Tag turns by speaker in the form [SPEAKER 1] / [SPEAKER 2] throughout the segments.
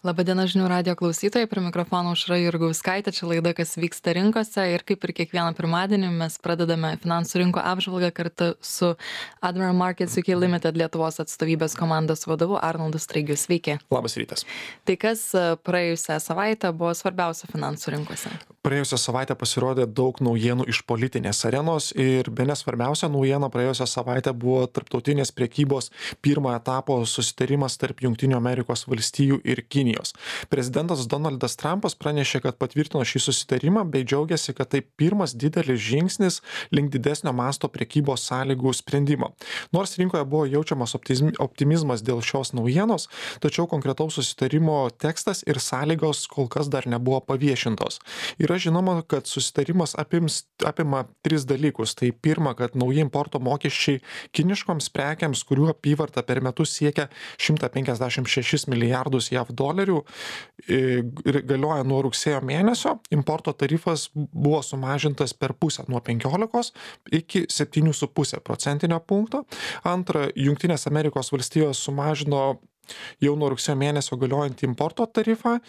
[SPEAKER 1] Labadiena žinių radijo klausytojai, prie mikrofono Aušra Jurgauskaitė, čia laida Kas vyksta rinkose ir kaip ir kiekvieną pirmadienį mes pradedame finansų rinko apžvalgą kartu su Admiral Markets UK Limited Lietuvos atstovybės komandos vadovu Arnoldu Straigiu. Sveiki.
[SPEAKER 2] Labas rytas.
[SPEAKER 1] Tai kas praėjusią savaitę buvo svarbiausia finansų rinkose?
[SPEAKER 2] Praėjusią savaitę pasirodė daug naujienų iš politinės arenos ir bene svarbiausia naujiena praėjusią savaitę buvo tarptautinės priekybos pirmo etapo susitarimas tarp Jungtinių Amerikos valstijų ir Kinijos. Prezidentas Donaldas Trumpas pranešė, kad patvirtino šį susitarimą bei džiaugiasi, kad tai pirmas didelis žingsnis link didesnio masto priekybos sąlygų sprendimo. Nors rinkoje buvo jaučiamas optimizmas dėl šios naujienos, tačiau konkretaus susitarimo tekstas ir sąlygos kol kas dar nebuvo paviešintos. Yra žinoma, kad susitarimas apima tris dalykus. Tai pirma, kad nauji importo mokesčiai kiniškoms prekiams, kurių apyvarta per metus siekia 156 milijardus JAV dolerių, galioja nuo rugsėjo mėnesio. Importo tarifas buvo sumažintas per pusę nuo 15 iki 7,5 procentinio punkto. Antra, Jungtinės Amerikos valstijos sumažino jau nuo rugsėjo mėnesio galiojantį importo tarifą.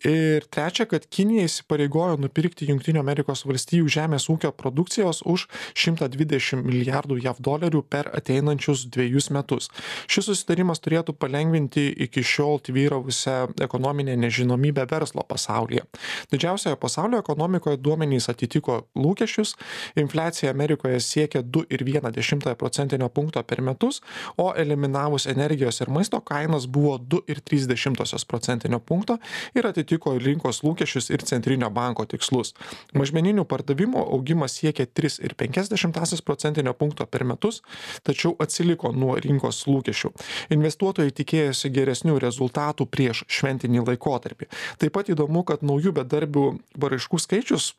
[SPEAKER 2] Ir trečia, kad Kinija įsipareigojo nupirkti Jungtinių Amerikos valstijų žemės ūkio produkcijos už 120 milijardų JAV dolerių per ateinančius 2 metus. Šis susitarimas turėtų palengvinti iki šiol tvyravusią ekonominę nežinomybę verslo pasaulyje. Didžiausioje pasaulio ekonomikoje duomenys atitiko lūkesčius. Infliacija Amerikoje siekia 2,1 procentinio punkto per metus, o eliminavus energijos ir maisto kainas buvo 2,3 procentinio punkto ir atitiko rinkos lūkesčius ir centrinio banko tikslus. Mažmeninių pardavimų augimas siekia 3,5 procentinio punkto per metus, tačiau atsiliko nuo rinkos lūkesčių. Investuotojai tikėjosi geresnių rezultatų prieš šventinį laikotarpį. Taip pat įdomu, kad naujų bedarbių paraiškų skaičius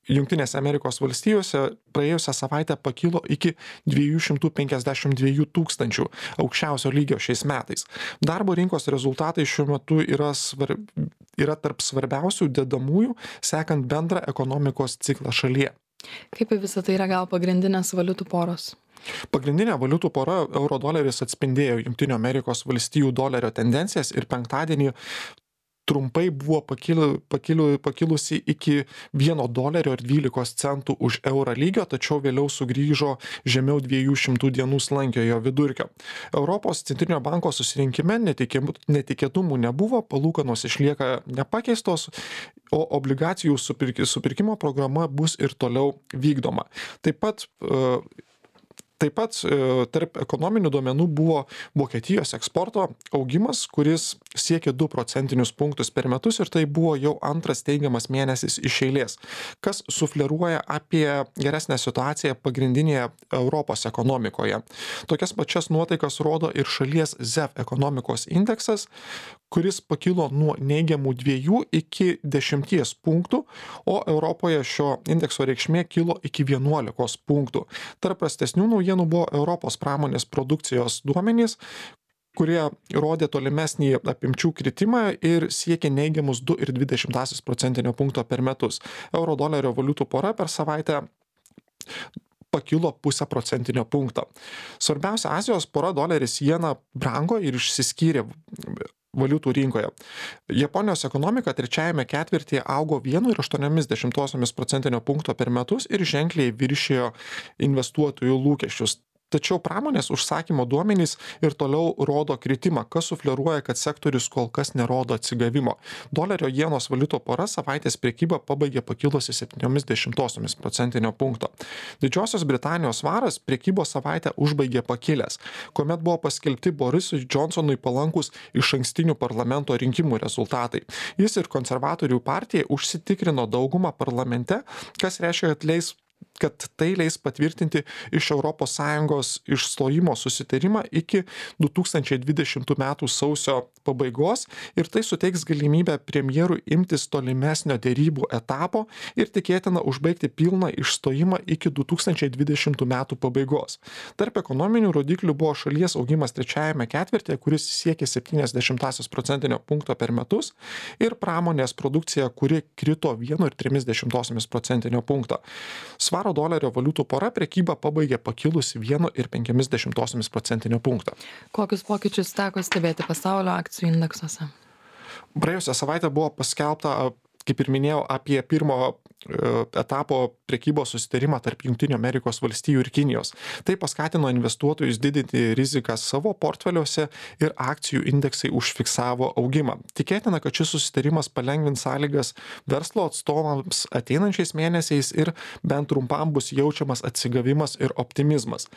[SPEAKER 2] Jungtinėse Amerikos valstijose praėjusią savaitę pakilo iki 252 tūkstančių, aukščiausio lygio šiais metais. Darbo rinkos rezultatai šiuo metu yra tarp svarbiausių dedamųjų, sekant bendrą ekonomikos ciklą šalyje.
[SPEAKER 1] Kaip į visą tai reagavo pagrindinės valiutų poros?
[SPEAKER 2] Pagrindinė valiutų pora euro doleris atspindėjo Jungtinių Amerikos valstijų dolerio tendencijas ir penktadienį trumpai buvo pakilusi iki $1.12 už eurą lygio, tačiau vėliau sugrįžo žemiau 200 dienų slankiojo vidurkio. Europos centrinio banko susirinkime netikėtumų nebuvo, palūkanos išlieka nepakeistos, o obligacijų supirkimo programa bus ir toliau vykdoma. Taip pat tarp ekonominių duomenų buvo Vokietijos eksporto augimas, kuris siekė 2 procentinius punktus per metus ir tai buvo jau antras teigiamas mėnesis iš eilės, kas sufleruoja apie geresnę situaciją pagrindinėje Europos ekonomikoje. Tokias pačias nuotaikas rodo ir šalies ZEV ekonomikos indeksas, kuris pakilo nuo neigiamų 2 iki 10 punktų, o Europoje šio indekso reikšmė kilo iki 11 punktų. Tarp prastesnių naujienų buvo Europos pramonės produkcijos duomenys, kurie rodė tolimesnį apimčių kritimą ir siekė neigiamus 2,2 procentinio punkto per metus. Euro dolerio valiutų pora per savaitę pakilo 0,5 procentinio punkto. Svarbiausia Azijos pora doleris jena brango ir išsiskyrė valiutų rinkoje. Japonijos ekonomika trečiajame ketvirtyje augo 1,8 procentinio punkto per metus ir ženkliai viršijo investuotojų lūkesčius. Tačiau pramonės užsakymo duomenys ir toliau rodo kritimą, kas sufleruoja, kad sektorius kol kas nerodo atsigavimo. Dolerio jenos valiutų pora savaitės prekybą pabaigė pakilusi 0,7 procentinio punkto. Didžiosios Britanijos svaras prekybos savaitę užbaigė pakilęs, kuomet buvo paskelbti Borisui Johnsonui palankus išankstinių parlamento rinkimų rezultatai. Jis ir konservatorių partijai užsitikrino daugumą parlamente, kas reiškia, kad tai leis patvirtinti iš ES išstojimo susitarimą iki 2020 metų sausio pabaigos ir tai suteiks galimybę premjerui imtis tolimesnio derybų etapo ir tikėtina užbaigti pilną išstojimą iki 2020 metų pabaigos. Tarp ekonominių rodiklių buvo šalies augimas trečiajame ketvirtyje, kuris siekė 0,7 procentinio punkto per metus ir pramonės produkcija, kuri krito 1,3 procentinio punkto. Svaro dolerio valiutų pora prekybą pabaigė pakilusi 1,5 procentinio punkto.
[SPEAKER 1] Kokius pokyčius teko stebėti pasaulio akcijų indeksuose?
[SPEAKER 2] Praėjusią savaitę buvo paskelbta, kaip ir minėjau, apie pirmo etapo prekybos susitarimą tarp Junktinių Amerikos valstijų ir Kinijos. Tai paskatino investuotojus didinti riziką savo portfeliuose ir akcijų indeksai užfiksavo augimą. Tikėtina, kad šis susitarimas palengvins sąlygas verslo atstovams ateinančiais mėnesiais ir bent trumpam bus jaučiamas atsigavimas ir optimizmas.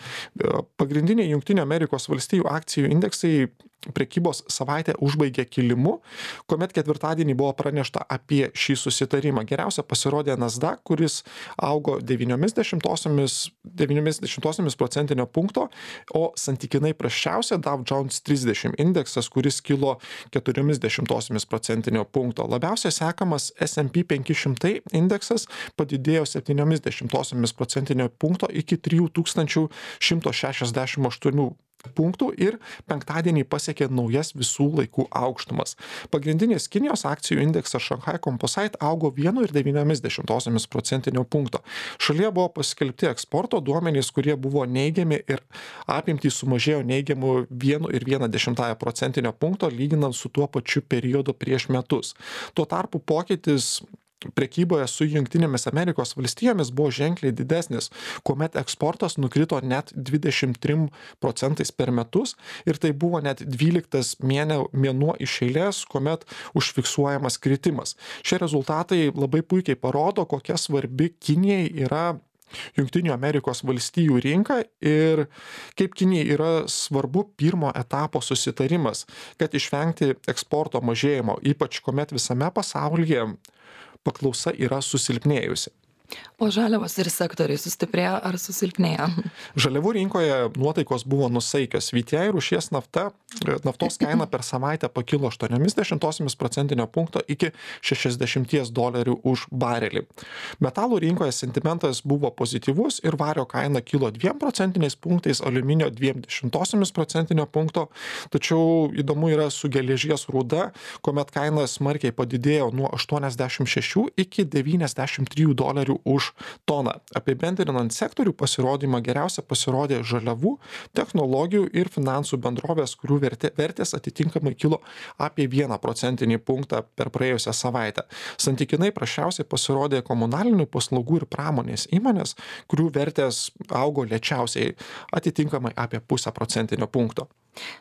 [SPEAKER 2] Pagrindiniai Junktinių Amerikos valstijų akcijų indeksai prekybos savaitę užbaigė kilimu, kuomet ketvirtadienį buvo pranešta apie šį susitarimą. Geriausia pasirodė Nasdaq, kuris augo 0,9 procentinio punkto, o santykinai prasčiausia Dow Jones 30 indeksas, kuris kilo 0,4 procentinio punkto. Labiausiai sekamas S&P 500 indeksas padidėjo 0,7 procentinio punkto iki 3168 punktų ir penktadienį pasiekė naujas visų laikų aukštumas. Pagrindinis Kinijos akcijų indeksas Shanghai Composite augo 1,9 procentinio punkto. Šalyje buvo paskelbti eksporto duomenys, kurie buvo neigiami ir apimtys sumažėjo neigiamų 1,1 procentinio punkto lyginant su tuo pačiu periodu prieš metus. Tuo tarpu pokytis prekyboje su Jungtinėmis Amerikos valstijomis buvo ženkliai didesnis, kuomet eksportas nukrito net 23% per metus ir tai buvo net 12 mėnuo iš eilės, kuomet užfiksuojamas kritimas. Šie rezultatai labai puikiai parodo, kokia svarbi Kinijai yra Junktinių Amerikos valstijų rinka ir kaip Kinijai yra svarbu pirmo etapo susitarimas, kad išvengti eksporto mažėjimo, ypač kuomet visame pasaulyje paklausa yra susilpnėjusi.
[SPEAKER 1] O žaliavos ir sektoriai sustiprėjo ar susilpnėjo?
[SPEAKER 2] Žaliavų rinkoje nuotaikos buvo nusaikios. VTI rūšies naftos kaina per savaitę pakilo 0,8 procentinio punkto iki $60 už barelį. Metalų rinkoje sentimentas buvo pozityvus ir vario kaina kilo 2 procentiniais punktais, aliuminio 0,2 procentinio punkto. Tačiau įdomu yra su geležies rūda, kuomet kaina smarkiai padidėjo nuo 86 iki $93 už toną. Apibendrinant sektorių pasirodymą geriausia pasirodė žaliavų, technologijų ir finansų bendrovės, kurių vertės atitinkamai kilo apie 1 procentinį punktą per praėjusią savaitę. Santykinai prasčiausiai pasirodė komunalinių paslaugų ir pramonės įmonės, kurių vertės augo lėčiausiai, atitinkamai apie 0,5 procentinio punkto.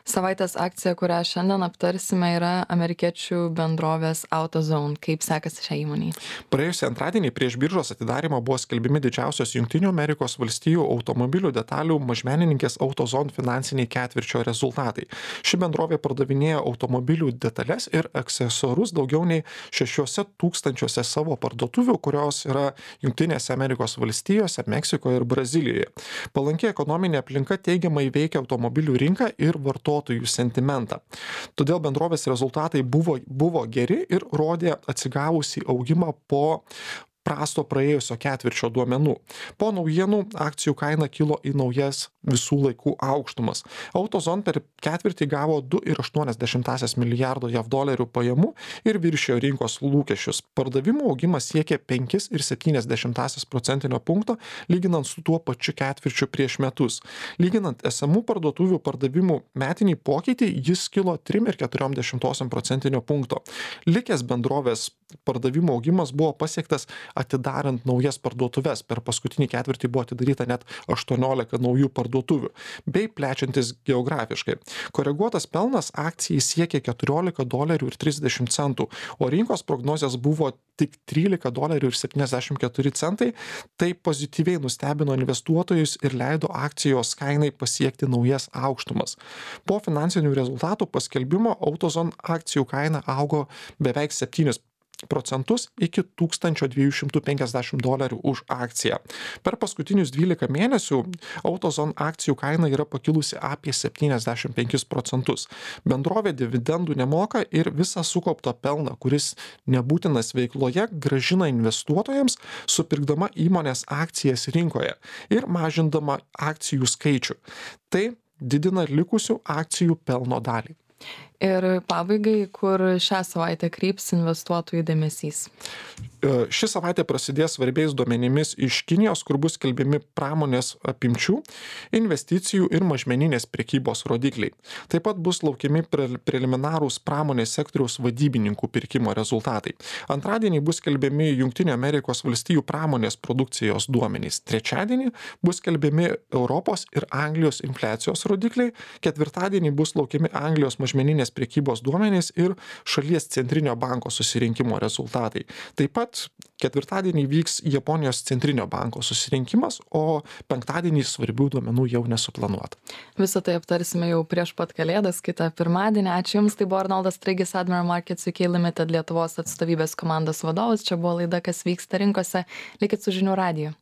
[SPEAKER 1] Savaitės akcija, kurią šiandien aptarsime, yra amerikiečių bendrovės AutoZone. Kaip sekasi šią įmonį?
[SPEAKER 2] Praėjusį antradienį prieš biržos atidarimą buvo skelbimi didžiausios Junktinių Amerikos valstijų automobilių detalių mažmenininkės AutoZone finansiniai ketvirčio rezultatai. Ši bendrovė pardavinėja automobilių detalės ir aksesuarus daugiau nei 6,000 savo parduotuvių, kurios yra Jungtinėse Amerikos valstijose, Meksikoje ir Brazilijoje. Palanki ekonominė aplinka teigiamai veikia automobilių rinką ir vartotojų sentimentą. Todėl bendrovės rezultatai buvo geri ir rodė atsigavusį augimą po prasto praėjusio ketvirčio duomenų. Po naujienų akcijų kaina kilo į naujas visų laikų aukštumas. AutoZone per ketvirtį gavo $2,8 milijardo JAV pajamų ir viršijo rinkos lūkesčius. Pardavimų augimas siekė 5,7 procentinio punkto, lyginant su tuo pačiu ketvirčiu prieš metus. Lyginant esamų parduotuvių pardavimų metinį pokytį, jis kilo 3,4 procentinio punkto. Likęs bendrovės pardavimų augimas buvo pasiektas atidarant naujas parduotuves. Per paskutinį ketvirtį buvo atidaryta net 18 naujų parduotuvių, bei plečiantis geografiškai. Koreguotas pelnas akcijai siekė $14,30, o rinkos prognozės buvo tik $13,74. Tai pozityviai nustebino investuotojus ir leido akcijos kainai pasiekti naujas aukštumas. Po finansinių rezultatų paskelbimo AutoZone akcijų kaina augo beveik 7% iki $1,250 už akciją. Per paskutinius 12 mėnesių AutoZone akcijų kaina yra pakilusi apie 75%. Bendrovė dividendų nemoka ir visą sukauptą pelną, kuris nebūtinas veikloje, gražina investuotojams, supirkdama įmonės akcijas rinkoje ir mažindama akcijų skaičių. Tai didina likusių akcijų pelno dalį.
[SPEAKER 1] Ir pabaigai, kur šią savaitę kryps investuotojų dėmesys?
[SPEAKER 2] Ši savaitė prasidės svarbiais duomenimis iš Kinijos, kur bus skelbiami pramonės apimčių, investicijų ir mažmeninės prekybos rodikliai. Taip pat bus laukiami preliminarūs pramonės sektoriaus vadybininkų pirkimo rezultatai. Antradienį bus skelbiami Junktinių Amerikos valstijų pramonės produkcijos duomenys. Trečiadienį bus skelbiami Europos ir Anglijos infliacijos rodikliai. Ketvirtadienį bus laukiami Anglijos mažmeninės prekybos duomenys ir šalies centrinio banko susirinkimo rezultatai. Taip pat ketvirtadienį vyks Japonijos centrinio banko susirinkimas, o penktadienį svarbių duomenų jau nesuplanuota.
[SPEAKER 1] Visą tai aptarsime jau prieš pat Kalėdas, kitą pirmadienį. Ačiū Jums, tai buvo Arnoldas Straigis, Admiral Markets UK Limited Lietuvos atstovybės komandos vadovas. Čia buvo laida, kas vyksta rinkose. Likit su žinių radiju.